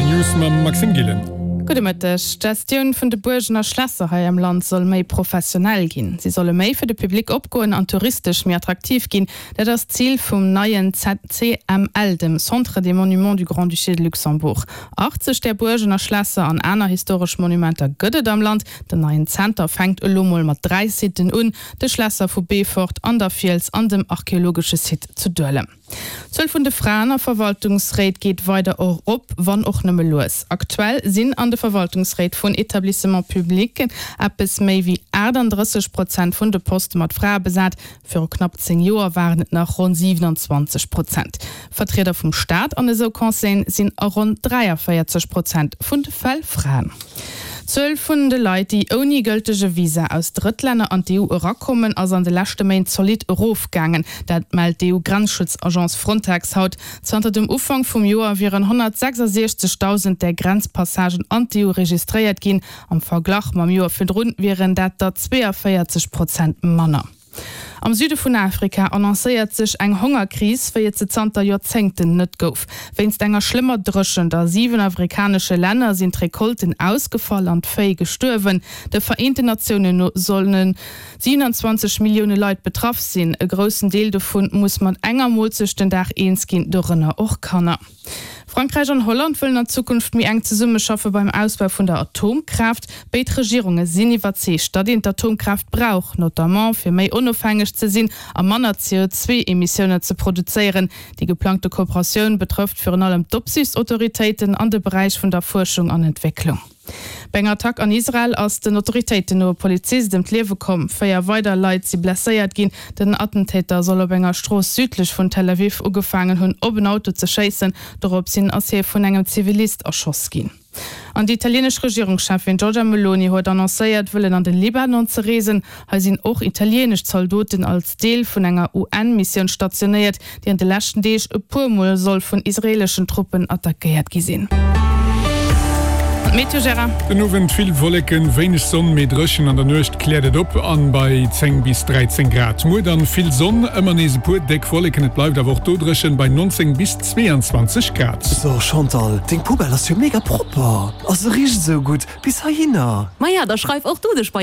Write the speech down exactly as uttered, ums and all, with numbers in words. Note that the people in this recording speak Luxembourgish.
Rtl News mam Maxime Gillen. Gudde Mëtteg. D'Gestioun vun de Buergen a Schlässer hei am Land soll méi professionell ginn. Si solle méi fir de Public opgoen an touristesch méi attraktiv ginn. Dat ass d'Zil vum neien C M L, dem Centre des Monuments du Grand-Duché de Luxembourg. achtzeg där Buergen a Schlässer an aner historesch Monumenter gëtt et am Land. Den neien Zenter fänkt elo mol mat dräi Sitten un, de Schlässer vu Beefort an der Fiels an dem archeologesche Site zu Duelem. D'Zuel vun de Fraen a Verwaltungsréit geet weider erop, wann och nëmme lues. Aktuell sinn an de Verwaltungsréit vun Etablissements publics eppes méi wéi achtandrësseg Prozent vun de Poste mat Frae besat. Viru knapp zéng Joer waren et nach ronn siewenundzwanzeg Prozent. Vertrieder vum Staat an esou Conseillen sinn a ronn dräiavéierzeg Prozent vun de Fäll Fraen. D'Zuel vun de Leit, déi ouni gëltege Visa aus Drëttlänner an d'E U erakommen, ass an de leschte Méint zolidd erofgaangen. Dat mellt d'E U-Grenzschutzagence Frontex haut. Zanter dem Ufank vum Joer wieren honnertsechsasiechzegdausend där Grenzpassagen an d'E U registréiert ginn. Am Verglach mam Joer virdrun wieren dat der zweeënvéierzeg Prozent manner. Am Süde vun Afrika annoncéiert sech eng Hongerkris, wéi et se zanter Joerzéngten net gouf. Wéinst enger schlëmmer Dréchent a siwen afrikanesche Länner sinn d'Recolten ausgefall an d'Véi gestuerwen. De Vereenten Natiounen no solle siewenundzwanzeg Millioune Leit betraff sinn. E groussen Deel dovun muss mat enger Moolzecht den Dag eens ginn, dorënner och Kanner. Frankräich an Holland wëllen an Zukunft méi enk zesummeschaffe beim Ausbau vun der Atomkraaft. Béid Regierunge sinn iwwerzeegt, datt een d'Atomkraaft brauch, notamment fir méi onofhängeg ze sinn a manner C O zwei Emissiounen ze produzéieren. Déi geplangte Kooperatioun betrëfft virun allem d'Opsiichtsautoritéiten an de Beräich vun der Fuerschung an Entwécklung. Bei enger Attack an Israel ass den Autoritéiten no e Polizist ëm d'Liewe komm. Véier weider Leit si blesséiert ginn. Den Attentäter soll op enger Strooss südlech vun Tel Aviv ugefaangen hunn, op en Auto ze schéissen. Doropshin ass hie vun engem Zivilist erschoss ginn. An déi italieenesch Regierungscheffin Giorgia Meloni huet annoncéiert, wëllen an de Libanon ze reesen. Hei sinn och italieenesch Zaldoten als Deel vun enger U N-Missioun stationéiert, déi an de leschten Deeg e puer Mol soll vun israeeleschen Truppen attackéiert gi sinn. D'Meteo, Gérard. Den Owend vill Wolleken, wéineg Sonn, mee dréchen. An der Nuecht kläert et op an bei zéng bis dräizéng Grad. Muer dann vill Sonn, ëmmer nees e puer déck Wolleken, et bleift awer och do dréchen bei neunzéng bis zweeanzwanzeg Grad. So Chantal, deng Poubelle ass jo mega propper. A se richt esou gutt bis heihinner. Maja, da schreif och du dech bei